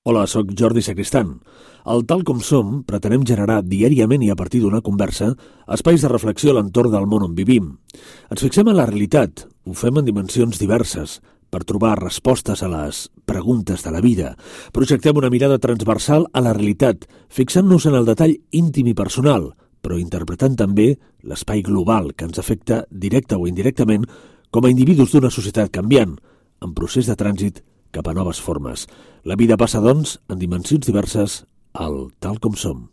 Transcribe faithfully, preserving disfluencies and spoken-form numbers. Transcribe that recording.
Hola, sóc Jordi Sacristan. Al Tal Com Som pretenem generar diàriament i a partir d'una conversa espais de reflexió a l'entorn del món on vivim. Ens fixem en la realitat, ho fem en dimensions diverses, per trobar respostes a les preguntes de la vida. Projectem una mirada transversal a la realitat, fixant-nos en el detall íntim i personal, però interpretant també l'espai global que ens afecta directe o indirectament com a individus d'una societat canviant, en procés de trànsit cap a noves formes. La vida passa, doncs, en dimensions diverses al Tal Com Som.